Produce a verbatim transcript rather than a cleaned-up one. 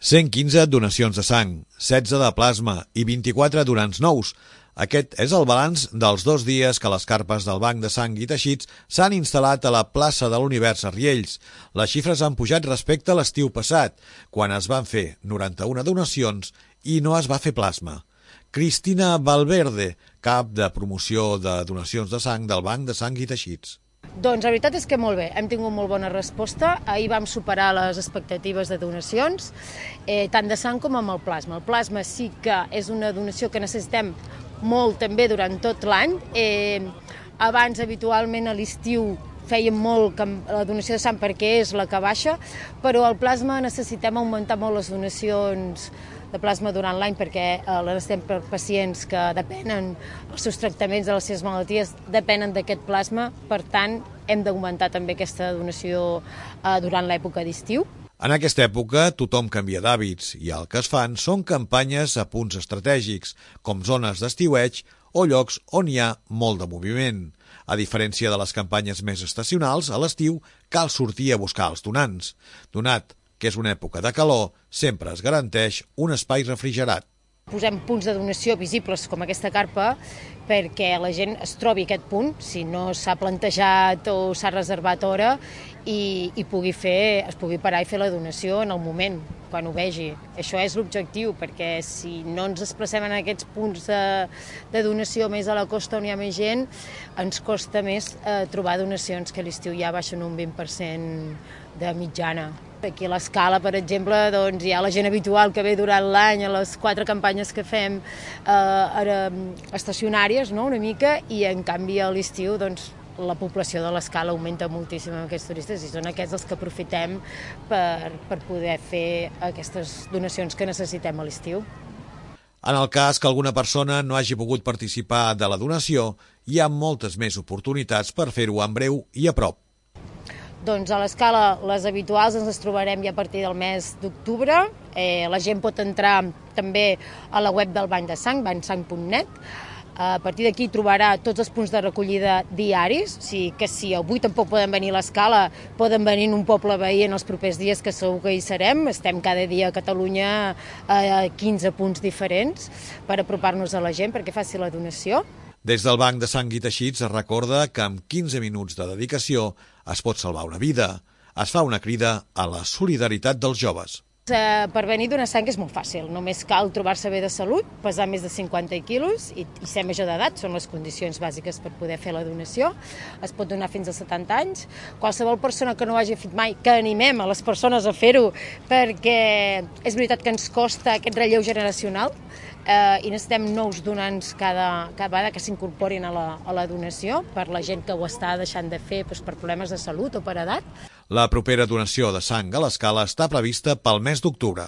cent quinze donacions de sang, setze de plasma i vint-i-quatre donants nous. Aquest és el balanç dels dos dies que les carpes del Banc de Sang i Teixits s'han instal·lat a la plaça de l'Univers a Riells. Les xifres han pujat respecte a l'estiu passat, quan es van fer noranta-una donacions i no es va fer plasma. Cristina Valverde, cap de promoció de donacions de sang del Banc de Sang i Teixits. Doncs la veritat és que molt bé, hem tingut molt bona resposta. Ahir vam superar les expectatives de donacions, eh, tant de sang com amb el plasma. El plasma sí que és una donació que necessitem molt també durant tot l'any. Eh, abans, habitualment, a l'estiu fèiem molt la donació de sang perquè és la que baixa, però el plasma necessitem augmentar molt les donacions de plasma durant l'any perquè eh, necessitem per pacients que depenen, els seus tractaments de les seves malalties depenen d'aquest plasma, per tant hem d'augmentar també aquesta donació eh, durant l'època d'estiu. En aquesta època tothom canvia d'hàbits i el que es fan són campanyes a punts estratègics, com zones d'estiueig o llocs on hi ha molt de moviment. A diferència de les campanyes més estacionals, a l'estiu cal sortir a buscar els donants. Donat que és una època de calor, sempre es garanteix un espai refrigerat. Posem punts de donació visibles com aquesta carpa perquè la gent es trobi a aquest punt, si no s'ha plantejat o s'ha reservat hora, i, i pugui fer, es pugui parar i fer la donació en el moment, quan ho vegi. Això és l'objectiu, perquè si no ens desplacem en aquests punts de, de donació més a la costa on hi ha més gent, ens costa més eh, trobar donacions, que a l'estiu ja baixen un vint per cent de mitjana. Aquí a l'Escala, per exemple, doncs, hi ha la gent habitual que ve durant l'any a les quatre campanyes que fem eh, estacionàries, no?, una mica, i en canvi a l'estiu doncs, la població de l'Escala augmenta moltíssim amb aquests turistes i són aquests els que aprofitem per, per poder fer aquestes donacions que necessitem a l'estiu. En el cas que alguna persona no hagi pogut participar de la donació, hi ha moltes més oportunitats per fer-ho en breu i a prop. Doncs a l'Escala, les habituals ens les trobarem ja a partir del mes d'octubre. Eh, la gent pot entrar també a la web del Banc de Sang, bancsang punt net. A partir d'aquí trobarà tots els punts de recollida diaris, o sigui que si avui tampoc poden venir a l'Escala, poden venir en un poble veí en els propers dies, que segur que hi serem. Estem cada dia a Catalunya a quinze punts diferents per apropar-nos a la gent perquè faci la donació. Des del Banc de Sang i Teixits es recorda que amb quinze minuts de dedicació es pot salvar una vida. Es fa una crida a la solidaritat dels joves. Eh, per venir a donar sang és molt fàcil, només cal trobar-se bé de salut, pesar més de cinquanta quilos i, i ser major d'edat, són les condicions bàsiques per poder fer la donació. Es pot donar fins a setanta anys. Qualsevol persona que no ho hagi fet mai, que animem a les persones a fer-ho, perquè és veritat que ens costa aquest relleu generacional eh, i necessitem nous donants cada, cada vegada que s'incorporin a, la, a la donació, per la gent que ho està deixant de fer doncs, per problemes de salut o per edat. La propera donació de sang a l'Escala està prevista pel mes d'octubre.